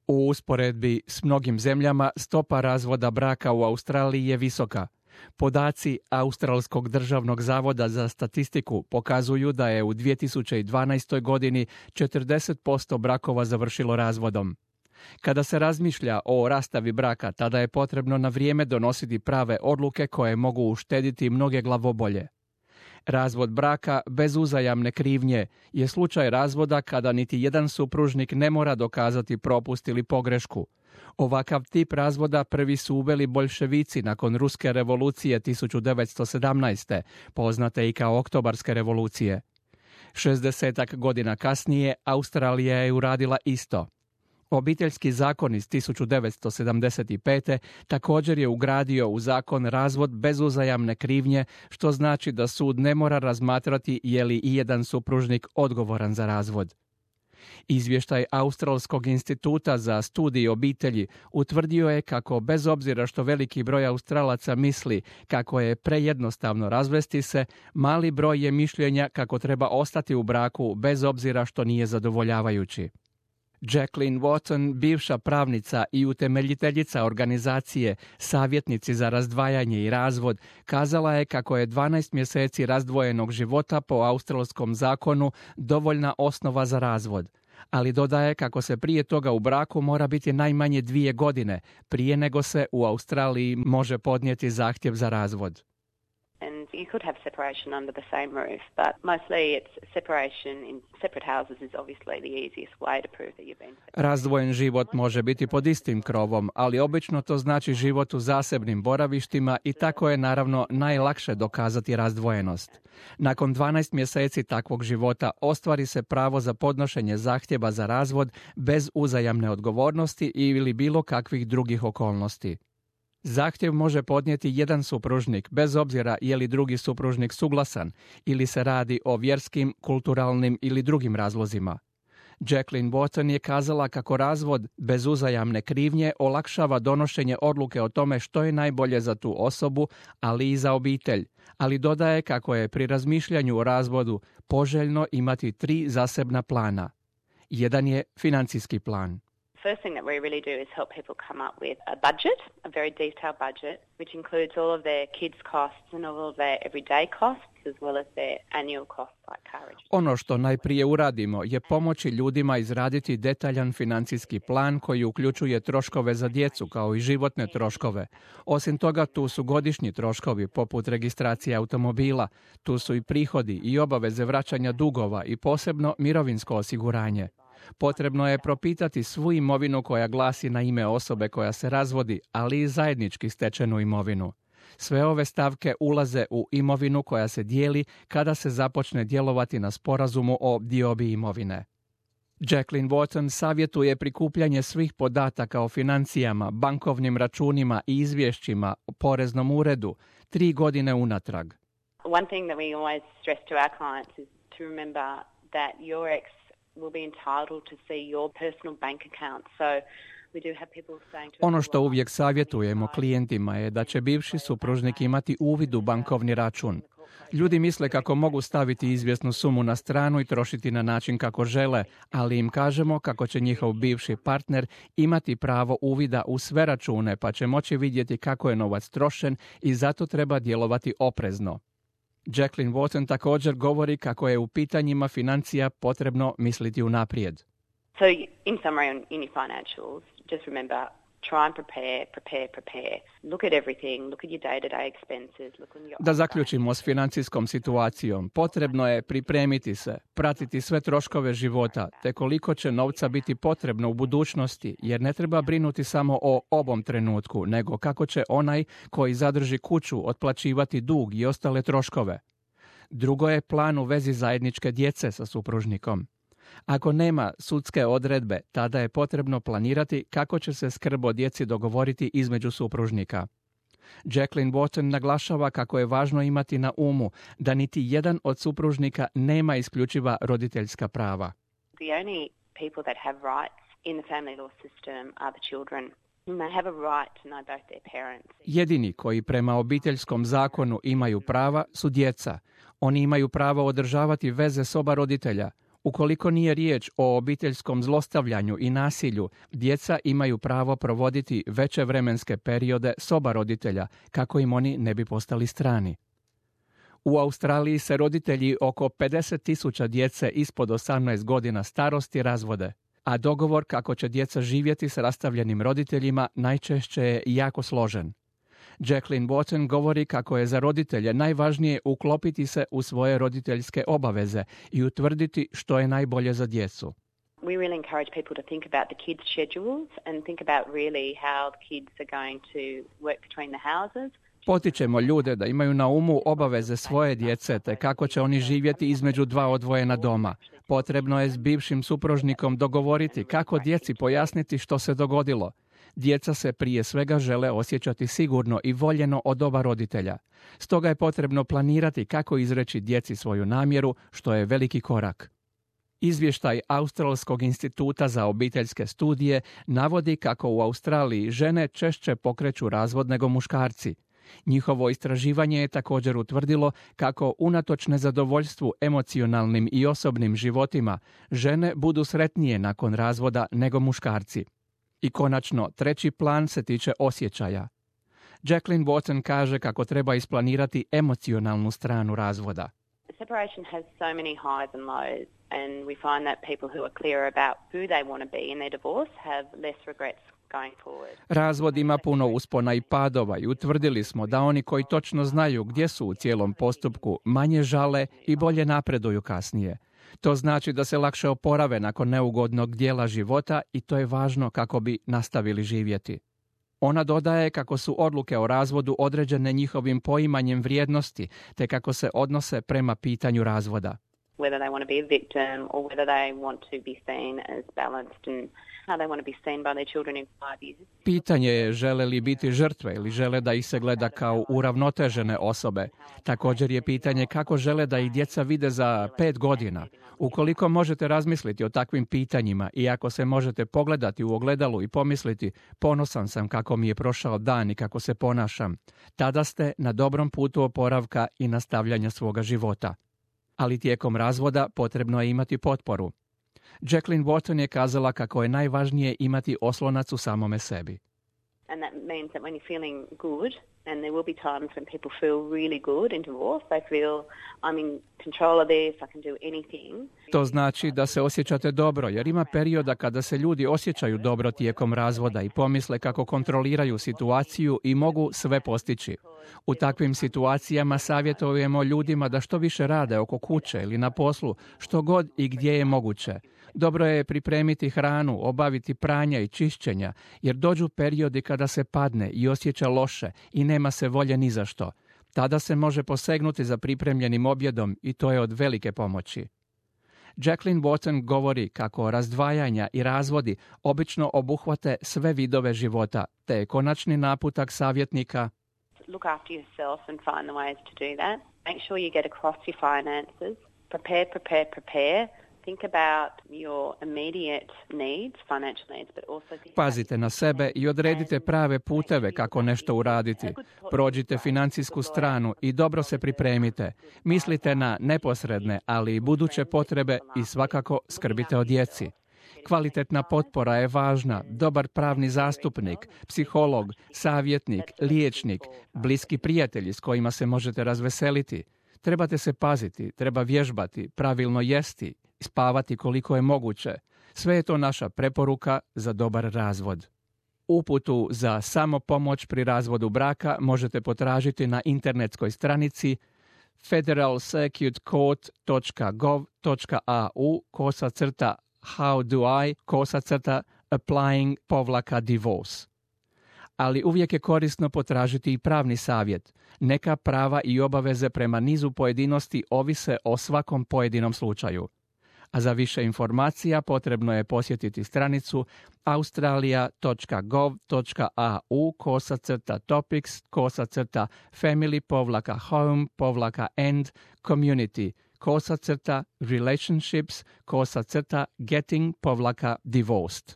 U usporedbi s mnogim zemljama stopa razvoda braka u Australiji je visoka. Podaci Australskog državnog zavoda za statistiku pokazuju da je u 2012. godini 40% brakova završilo razvodom. Kada se razmišlja o rastavi braka, tada je potrebno na vrijeme donositi prave odluke koje mogu uštediti mnoge glavobolje. Razvod braka bez uzajamne krivnje je slučaj razvoda kada niti jedan supružnik ne mora dokazati propust ili pogrešku. Ovakav tip razvoda prvi su uveli boljševici nakon Ruske revolucije 1917. poznate i kao Oktobarske revolucije. 60 godina kasnije Australija je uradila isto. Obiteljski zakon iz 1975. također je ugradio u zakon razvod bez uzajamne krivnje, što znači da sud ne mora razmatrati je li ijedan supružnik odgovoran za razvod. Izvještaj Australskog instituta za studij obitelji utvrdio je kako, bez obzira što veliki broj Australaca misli kako je prejednostavno razvesti se, mali broj je mišljenja kako treba ostati u braku bez obzira što nije zadovoljavajući. Jacqueline Watson, bivša pravnica i utemeljiteljica organizacije Savjetnici za razdvajanje i razvod, kazala je kako je 12 mjeseci razdvojenog života po australskom zakonu dovoljna osnova za razvod, ali dodaje kako se prije toga u braku mora biti najmanje 2 godine prije nego se u Australiji može podnijeti zahtjev za razvod. And you could have separation under the same roof, but mostly it's separation in separate houses is obviously the easiest way to prove that you've been separated. Razdvojen život može biti pod istim krovom, ali obično to znači život u zasebnim boravištima i tako je naravno najlakše dokazati razdvojenost. Nakon 12 mjeseci takvog života ostvari se pravo za podnošenje zahtjeva za razvod bez uzajamne odgovornosti ili bilo kakvih drugih okolnosti. Zahtjev može podnijeti jedan supružnik, bez obzira je li drugi supružnik suglasan ili se radi o vjerskim, kulturalnim ili drugim razlozima. Jacqueline Watson je kazala kako razvod bez uzajamne krivnje olakšava donošenje odluke o tome što je najbolje za tu osobu, ali i za obitelj, ali dodaje kako je pri razmišljanju o razvodu poželjno imati 3 zasebna plana. Jedan je financijski plan. First thing that we really do is help people come up with a budget, a very detailed budget, which includes all of their kids' costs and all of their everyday costs, as well as their annual costs like car registration. Ono što najprije uradimo je pomoći ljudima izraditi detaljan financijski plan koji uključuje troškove za djecu kao i životne troškove. Osim toga, tu su godišnji troškovi poput registracije automobila, tu su i prihodi i obaveze vraćanja dugova i posebno mirovinsko osiguranje. Potrebno je propitati svu imovinu koja glasi na ime osobe koja se razvodi, ali i zajednički stečenu imovinu. Sve ove stavke ulaze u imovinu koja se dijeli kada se započne djelovati na sporazumu o diobi imovine. Jacqueline Watson savjetuje prikupljanje svih podataka o financijama, bankovnim računima i izvješćima o poreznom uredu 3 godine unatrag. One thing that we always stress to our clients is to remember that your ex will be entitled to see your personal bank account. So we do have people saying to Ono što uvijek savjetujemo klijentima je da će bivši supružnik imati uvid u bankovni račun. Ljudi misle kako mogu staviti izvjesnu sumu na stranu i trošiti na način kako žele, ali im kažemo kako će njihov bivši partner imati pravo uvida u sve račune, pa će moći vidjeti kako je novac trošen i zato treba djelovati oprezno. Jacqueline Watson također govori kako je u pitanjima financija potrebno misliti unaprijed. So in summary in your financials, just remember, try and prepare. Look at everything, look at your day-to-day expenses, look on your... Da zaključimo s financijskom situacijom, potrebno je pripremiti se, pratiti sve troškove života, te koliko će novca biti potrebno u budućnosti, jer ne treba brinuti samo o ovom trenutku, nego kako će onaj koji zadrži kuću otplaćivati dug i ostale troškove. Drugo je plan u vezi zajedničke djece sa supružnikom. Ako nema sudske odredbe, tada je potrebno planirati kako će se skrb o djeci dogovoriti između supružnika. Jacqueline Watson naglašava kako je važno imati na umu da niti jedan od supružnika nema isključiva roditeljska prava. The only people that have rights in the family law system are the children. They have a right to know both their parents. Jedini koji prema obiteljskom zakonu imaju prava su djeca. Oni imaju pravo održavati veze s oba roditelja. Ukoliko nije riječ o obiteljskom zlostavljanju i nasilju, djeca imaju pravo provoditi veće vremenske periode s oba roditelja, kako im oni ne bi postali strani. U Australiji se roditelji oko 50.000 djece ispod 18 godina starosti razvode, a dogovor kako će djeca živjeti s rastavljenim roditeljima najčešće je jako složen. Jacqueline Wharton govori kako je za roditelje najvažnije uklopiti se u svoje roditeljske obaveze i utvrditi što je najbolje za djecu. We really encourage people to think about the kids' schedules and think about really how the kids are going to work between the houses. Potičemo ljude da imaju na umu obaveze svoje djece te kako će oni živjeti između dva odvojena doma. Potrebno je s bivšim supružnikom dogovoriti kako djeci pojasniti što se dogodilo. Djeca se prije svega žele osjećati sigurno i voljeno od oba roditelja. Stoga je potrebno planirati kako izreći djeci svoju namjeru, što je veliki korak. Izvještaj Australskog instituta za obiteljske studije navodi kako u Australiji žene češće pokreću razvod nego muškarci. Njihovo istraživanje je također utvrdilo kako unatoč nezadovoljstvu emocionalnim i osobnim životima, žene budu sretnije nakon razvoda nego muškarci. I konačno, treći plan se tiče osjećaja. Jacqueline Wharton kaže kako treba isplanirati emocionalnu stranu razvoda. Separation has so many highs and lows, and we find that people who are clear about who they want to be in their divorce have less regrets going forward. Razvod ima puno uspona i padova i utvrdili smo da oni koji točno znaju gdje su u cijelom postupku manje žale i bolje napreduju kasnije. To znači da se lakše oporave nakon neugodnog dijela života i to je važno kako bi nastavili živjeti. Ona dodaje kako su odluke o razvodu određene njihovim poimanjem vrijednosti, te kako se odnose prema pitanju razvoda. Whether they want to be a victim or whether they want to be seen as balanced and how they want to be seen by their children in 5 years. Pitanje je žele li biti žrtve ili žele da ih se gleda kao uravnotežene osobe. Također je pitanje kako žele da ih djeca vide za 5 godina. Ukoliko možete razmisliti o takvim pitanjima i ako se možete pogledati u ogledalu i pomisliti ponosan sam kako mi je prošao dan i kako se ponašam, tada ste na dobrom putu oporavka i nastavljanja svoga života. Ali tijekom razvoda potrebno je imati potporu. Jacqueline Wharton je kazala kako je najvažnije imati oslonac u samome sebi. And that means that when you're feeling good, and there will be times when people feel really good in divorce, they feel I'm in control of this, I can do anything. To znači da se osjećate dobro, jer ima perioda kada se ljudi osjećaju dobro tijekom razvoda i pomisle kako kontroliraju situaciju i mogu sve postići. U takvim situacijama savjetujemo ljudima da što više rade oko kuće ili na poslu, što god i gdje je moguće. Dobro je pripremiti hranu, obaviti pranja i čišćenja, jer dođu periodi kada se padne i osjeća loše i nema se volje ni za što. Tada se može posegnuti za pripremljenim objedom i to je od velike pomoći. Jacqueline Wharton govori kako razdvajanja i razvodi obično obuhvate sve vidove života, te je konačni naputak savjetnika: Look after yourself and find the ways to do that. Make sure you get across your finances. Prepare. Think about your immediate needs, financial needs, but also think Pazite na sebe i odredite prave puteve kako nešto uraditi. Prođite financijsku stranu i dobro se pripremite. Mislite na neposredne, ali i buduće potrebe i svakako skrbite o djeci. Kvalitetna potpora je važna, dobar pravni zastupnik, psiholog, savjetnik, liječnik, bliski prijatelji s kojima se možete razveseliti. Trebate se paziti, treba vježbati, pravilno jesti, spavati koliko je moguće. Sve je to naša preporuka za dobar razvod. Uputu za samopomoć pri razvodu braka možete potražiti na internetskoj stranici federalcircuit.gov.au/how-do-I/applying-divorce. Ali uvijek je korisno potražiti i pravni savjet. Neka prava i obaveze prema nizu pojedinosti ovise o svakom pojedinom slučaju. A za više informacija potrebno je posjetiti stranicu australia.gov.au/family-home-and-community/relationships/getting-divorced.